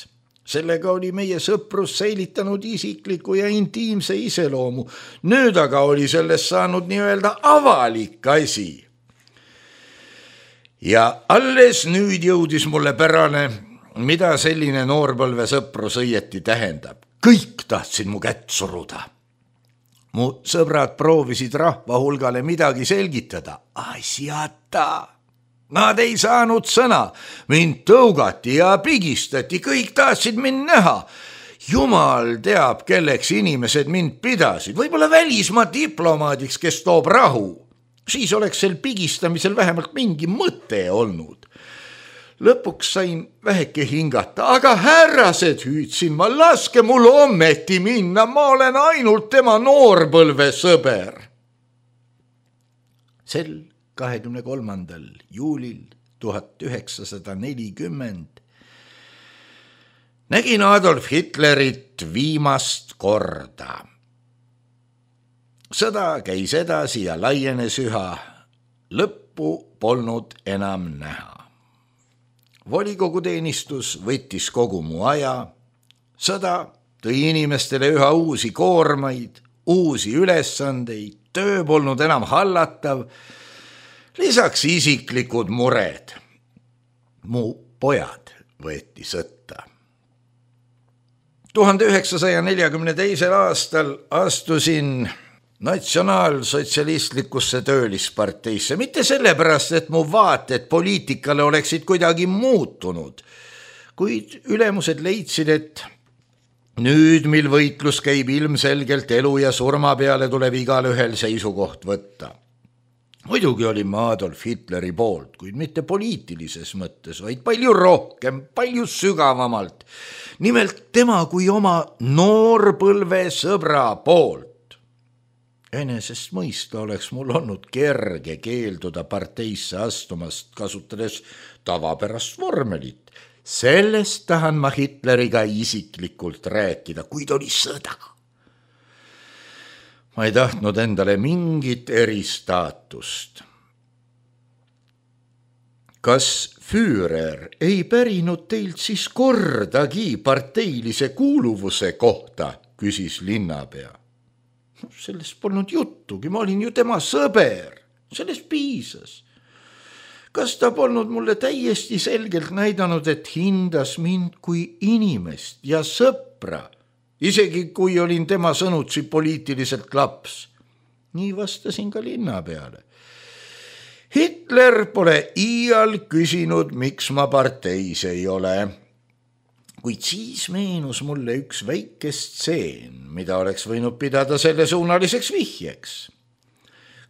Sellega oli meie sõprus säilitanud isikliku ja intiimse iseloomu. Nüüd aga oli sellest saanud nii-öelda avalik asi. Ja alles nüüd jõudis mulle pärane, mida selline noorpõlve sõprus õieti tähendab. Kõik tahtsid mu kätt suruda. Mu sõbrad proovisid rahva hulgale midagi selgitada. Asjata! Nad ei saanud sõna, mind tõugati ja pigistati, kõik tahtsid mind näha. Jumal teab, kelleks inimesed mind pidasid, võib-olla välismaa diplomaadiks, kes toob rahu. Siis oleks sel pigistamisel vähemalt mingi mõte olnud. Lõpuks sain väheke hingata, aga härrased, hüüdsin ma, laske mul ometi minna, ma olen ainult tema noorpõlve sõber. Sel kahekümne kolmandal juulil tuhat üheksasada nelikümmend nägin Adolf Hitlerit viimast korda. Sõda käis edasi ja laienes üha, lõppu polnud enam näha. Volikoguteenistus võttis kogu mu aja, sõda tõi inimestele üha uusi koormaid, uusi ülesandeid, töö polnud enam hallatav, lisaks isiklikud mured. Mu pojad võeti sõtta. tuhande üheksasaja neljakümne teisel aastal astusin natsionaalsotsialistlikusse töölisparteisse. Mitte sellepärast, et mu vaated poliitikale oleksid kuidagi muutunud, kuid ülemused leidsid, et nüüd, mil võitlus käib ilmselgelt elu ja surma peale, tuleb igal ühel seisukoht võtta. Muidugi olin ma Adolf Hitleri poolt, kuid mitte poliitilises mõttes, vaid palju rohkem, palju sügavamalt. Nimelt tema kui oma noorpõlve sõbra poolt. Enesest mõista oleks mul olnud kerge keelduda parteisse astumast, kasutades tavapärast vormelit. Sellest tahan ma Hitleriga isiklikult rääkida, kuid oli sõda. Ma ei tahtnud endale mingit eristaatust. Kas Führer ei pärinud teilt siis kordagi parteilise kuuluvuse kohta, küsis linnapea. Sellest polnud juttugi, ma olin ju tema sõber, sellest piisas. Kas ta polnud mulle täiesti selgelt näidanud, et hindas mind kui inimest ja sõpra, isegi kui olin tema sõnutsi poliitiliselt laps? Nii vastasin ka linnapeale. Hitler pole iial küsinud, miks ma parteis ei ole. Kuid siis meenus mulle üks väike stseen, mida oleks võinud pidada selle suunaliseks vihjeks.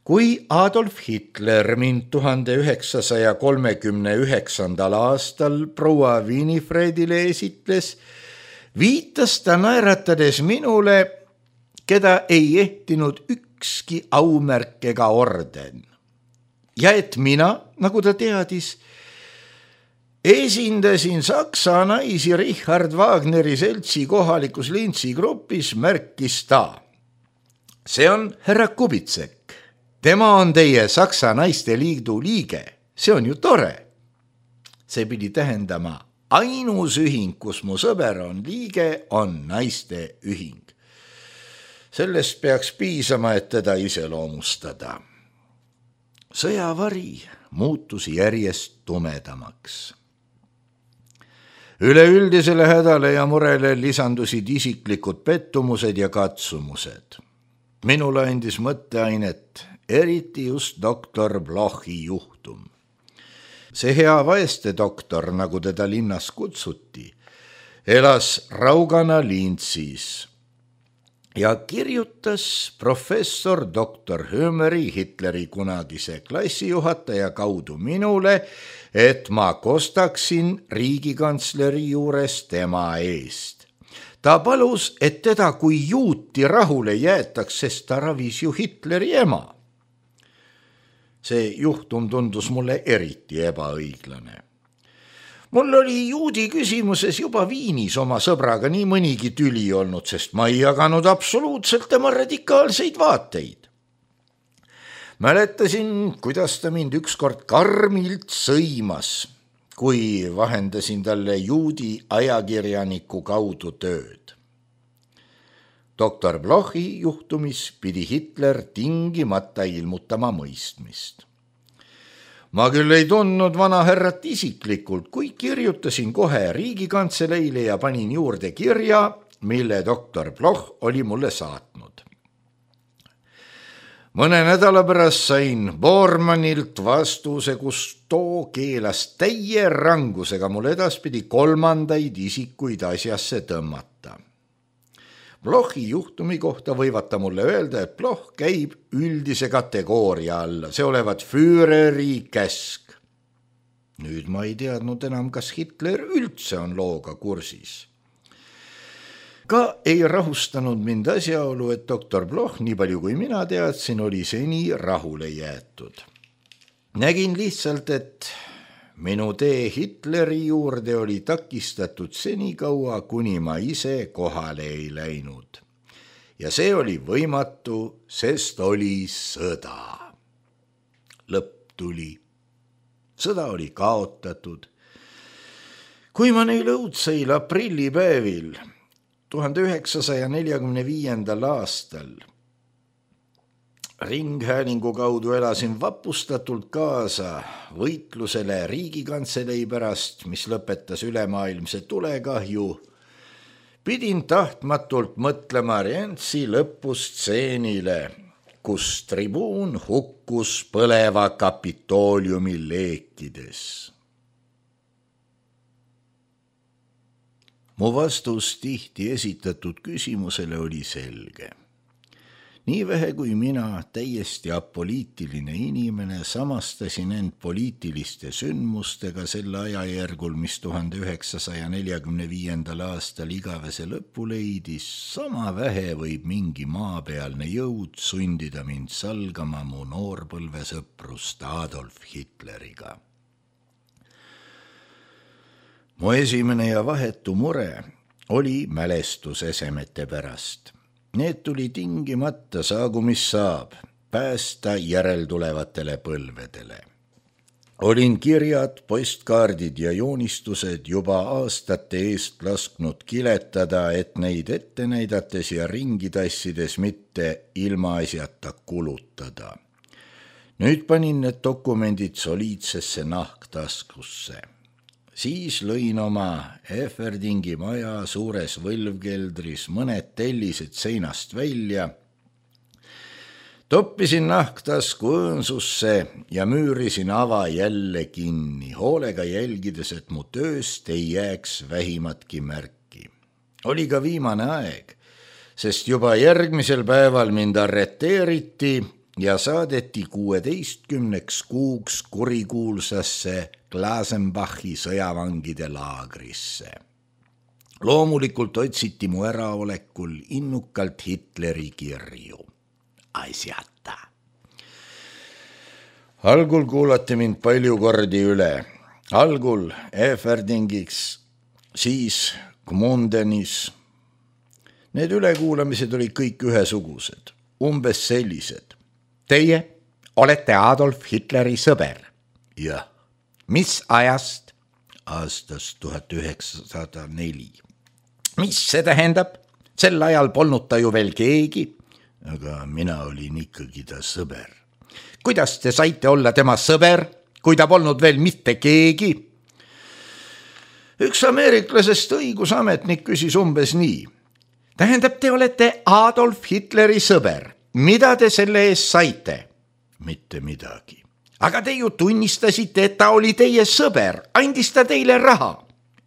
Kui Adolf Hitler mind tuhande üheksasaja kolmekümne üheksandal aastal proua Winifredile esitles, viitas ta naeratades minule, keda ei ehtinud ükski aumärk ega orden. Ja et mina, nagu ta teadis, esindasin Saksa naisi Richard Wagneri seltsi kohalikus Linzi grupis, märkis ta. See on härra Kubitsek. Tema on teie Saksa naiste liidu liige. See on ju tore. See pidi tähendama, ainus ühing, kus mu sõber on liige, on naiste ühing. Sellest peaks piisama, et teda iseloomustada. Sõjavari muutus järjest tumedamaks. Üleüldisele hädale ja murele lisandusid isiklikud pettumused ja katsumused. Minule andis mõtteainet eriti just doktor Blochi juhtum. See hea vaeste doktor, nagu teda linnas kutsuti, elas raugana Linzis ja kirjutas professor doktor Hömeri, Hitleri kunagise klassijuhataja kaudu minule, et ma kostaksin riigikantsleri juures tema eest. Ta palus, et teda kui juuti rahule jäetaks, sest ta ravis ju Hitleri ema. See juhtum tundus mulle eriti ebaõiglane. Mul oli juudi küsimuses juba Viinis oma sõbraga nii mõnigi tüli olnud, sest ma ei jaganud absoluutselt tema radikaalseid vaateid. Mäletasin, kuidas ta mind ükskord karmilt sõimas, kui vahendasin talle juudi ajakirjaniku kaudu tööd. Doktor Blochi juhtumis pidi Hitler tingimata ilmutama mõistmist. Ma küll ei tundnud vana härrat isiklikult, kui kirjutasin kohe riigikantseleile ja panin juurde kirja, mille doktor Bloch oli mulle saatnud. Mõne nädala pärast sain Bormannilt vastuse, kus too keelas täie rangusega mul edaspidi kolmandaid isikuid asjasse tõmmata. Blochi juhtumi kohta võivad ta mulle öelda, et Bloch käib üldise kategooria alla, see olevat Führeri käsk. Nüüd ma ei teadnud enam, kas Hitler üldse on looga kursis. Ka ei rahustanud mind asjaolu, et doktor Bloch, nii palju kui mina teadsin, oli seni rahule jäetud. Nägin lihtsalt, et minu tee Hitleri juurde oli takistatud senikaua, kuni ma ise kohale ei läinud. Ja see oli võimatu, sest oli sõda. Lõpp tuli. Sõda oli kaotatud. Kui ma neil õudseil aprillipäevil tuhande üheksasaja neljakümne viiendal aastal ringhäälingu kaudu elasin vapustatult kaasa võitlusele riigikantselei pärast, mis lõpetas ülemaailmse tulekahju, pidin tahtmatult mõtlema Rientsi lõpustseenile, kus tribuun hukkus põleva Kapitooliumi leekides. Mu vastus tihti esitatud küsimusele oli selge. Nii vähe kui mina, täiesti apoliitiline inimene, samastasin end poliitiliste sündmustega sel ajajärgul, mis tuhande üheksasaja neljakümne viiendal aastal igavese lõpu leidis, sama vähe võib mingi maapealne jõud sundida mind salgama mu noorpõlvesõprust Adolf Hitleriga. Mu esimene ja vahetu mure oli mälestusesemete pärast. Need tuli tingimata, saagu mis saab, päästa järeltulevatele põlvedele. Olin kirjad, postkaardid ja joonistused juba aastate eest lasknud kiletada, et neid ette näidates ja ringi tassides mitte ilmaasjata kulutada. Nüüd panin need dokumendid soliidsesse nahktaskusse. Siis lõin oma Eferdingi maja suures võlvkeldris mõned tellised seinast välja, Toppisin nahktasku õõnsusse ja müürisin ava jälle kinni, hoolega jälgides, et mu tööst ei jääks vähimatki märki. Oli ka viimane aeg, sest juba järgmisel päeval mind arreteeriti ja saadeti kuueteistkümneks kuuks kurikuulsasse Glasenbachi sõjavangide laagrisse. Loomulikult otsiti mu äraolekul innukalt Hitleri kirju. Asjata. Algul kuulati mind palju kordi üle. Algul Eferdingiks, siis Gmundenis. Need ülekuulamised olid kõik ühesugused, umbes sellised. Teie olete Adolf Hitleri sõber. Jah. Mis ajast? Aastast tuhat üheksasada neli. Mis see tähendab? Sel ajal polnud ta ju veel keegi. Aga mina olin ikkagi ta sõber. Kuidas te saite olla tema sõber, kui ta polnud veel mitte keegi? Üks ameeriklasest õigusametnik küsis umbes nii. Tähendab, te olete Adolf Hitleri sõber. Mida te selle eest saite? Mitte midagi. Aga te ju tunnistasite, et ta oli teie sõber. Andis ta teile raha?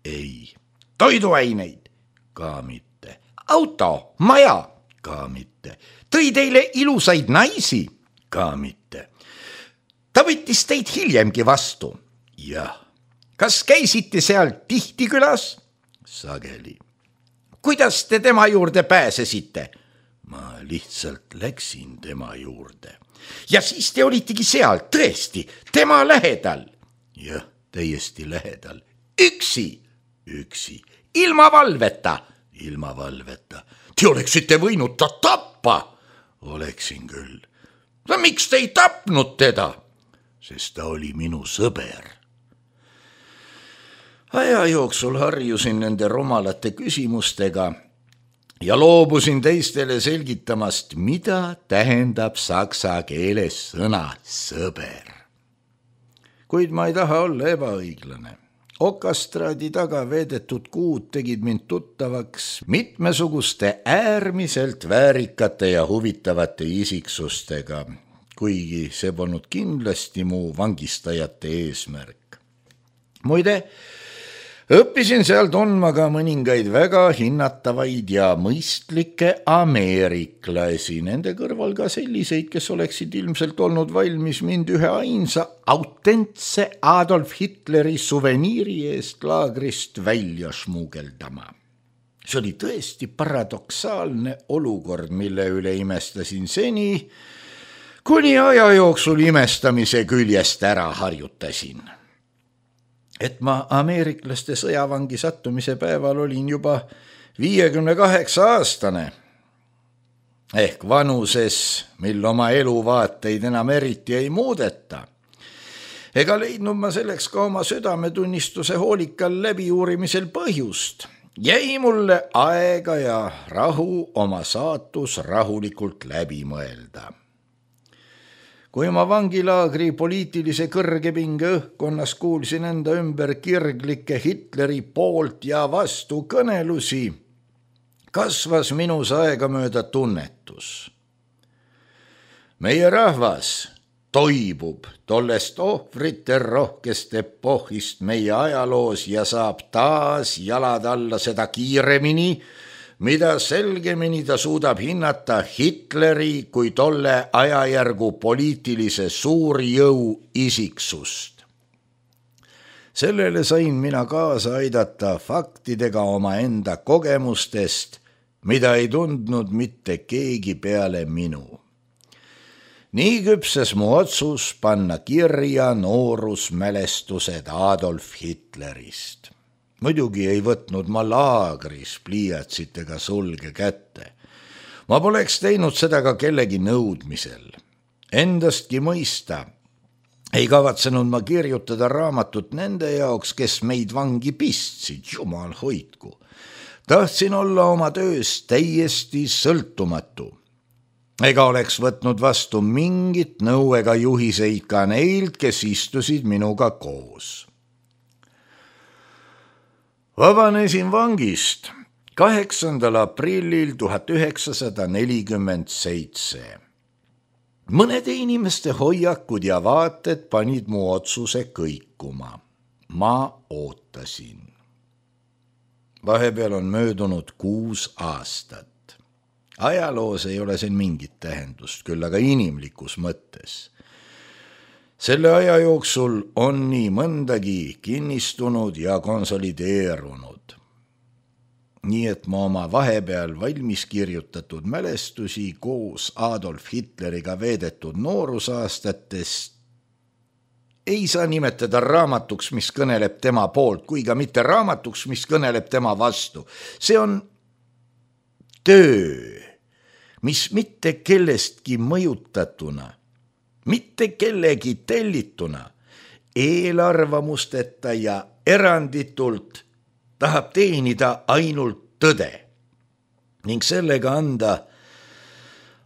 Ei. Toiduaineid? Ka mitte. Auto, maja? Ka mitte. Tõi teile ilusaid naisi? Ka mitte. Ta võttis teid hiljemgi vastu? Jah. Kas käisite seal tihti külas? Sageli. Kuidas te tema juurde pääsesite? Ma lihtsalt läksin tema juurde. Ja siis te olitegi seal, tõesti, tema lähedal? Jah, täiesti lähedal. Üksi? Üksi. Ilma valveta? Ilma valveta. Te oleksite võinud ta tappa? Oleksin küll. No miks te ei tapnud teda? Sest ta oli minu sõber. Aja jooksul harjusin nende rumalate küsimustega ja loobusin teistele selgitamast, mida tähendab saksa keeles sõna sõber. Kuid ma ei taha olla ebaõiglane. Okastraadi taga veedetud kuud tegid mind tuttavaks mitmesuguste äärmiselt väärikate ja huvitavate isiksustega, kuigi see polnud kindlasti mu vangistajate eesmärk. Muide, õppisin seal tundma ka mõningaid väga hinnatavaid ja mõistlikke ameeriklasi, nende kõrval ka selliseid, kes oleksid ilmselt olnud valmis mind ühe ainsa autentse Adolf Hitleri suveniiri eest laagrist välja šmugeldama. See oli tõesti paradoksaalne olukord, mille üle imestasin seni, kuni aja jooksul imestamise küljest ära harjutasin. Et ma ameeriklaste sõjavangi sattumise päeval olin juba viiekümne kaheksa aastane, ehk vanuses, mil oma eluvaateid enam eriti ei muudeta. Ega leidnud ma selleks ka oma südametunnistuse hoolikal läbiuurimisel põhjust. Jäi mulle aega ja rahu oma saatus rahulikult läbi mõelda. Kui ma vangilaagri poliitilise kõrgepinge õhkonnas kuulsin enda ümber kirglikke Hitleri poolt ja vastu kõnelusi, kasvas minus aegamööda tunnetus. Meie rahvas toibub tollest ohvrite rohkest epohhist meie ajaloos ja saab taas jalad alla seda kiiremini, mida selgemini ta suudab hinnata Hitleri kui tolle ajajärgu poliitilise suurjõu isiksust. Sellele sain mina kaasa aidata faktidega oma enda kogemustest, mida ei tundnud mitte keegi peale minu. Nii küpses mu otsus panna kirja noorusmälestused Adolf Hitlerist. Muidugi ei võtnud ma laagris pliiatsitega sulge kätte. Ma poleks teinud seda ka kellegi nõudmisel. Endastki mõista ei kavatsenud ma kirjutada raamatut nende jaoks, kes meid vangi pistsid, jumal hoidku. Tahtsin olla oma töös täiesti sõltumatu. Ega oleks võtnud vastu mingit nõu ega juhiseid ka neilt, kes istusid minuga koos. Vabanesin vangist kaheksandal aprillil tuhat üheksasada nelikümmend seitse. mõnede inimeste hoiakud ja vaated panid mu otsuse kõikuma. Ma ootasin. Vahepeal on möödunud kuus aastat. Ajaloos ei ole siin mingit tähendust, küll aga inimlikus mõttes. Selle aja jooksul on nii mõndagi kinnistunud ja konsolideerunud. Nii et ma oma vahepeal valmis kirjutatud mälestusi koos Adolf Hitleriga veedetud noorusaastatest ei saa nimetada raamatuks, mis kõneleb tema poolt, kui ka mitte raamatuks, mis kõneleb tema vastu. See on töö, mis mitte kellestki mõjutatuna, mitte kellegi tellituna, eelarvamusteta ja eranditult tahab teenida ainult tõde ning sellega anda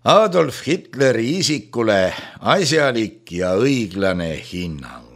Adolf Hitleri isikule asjalik ja õiglane hinnang.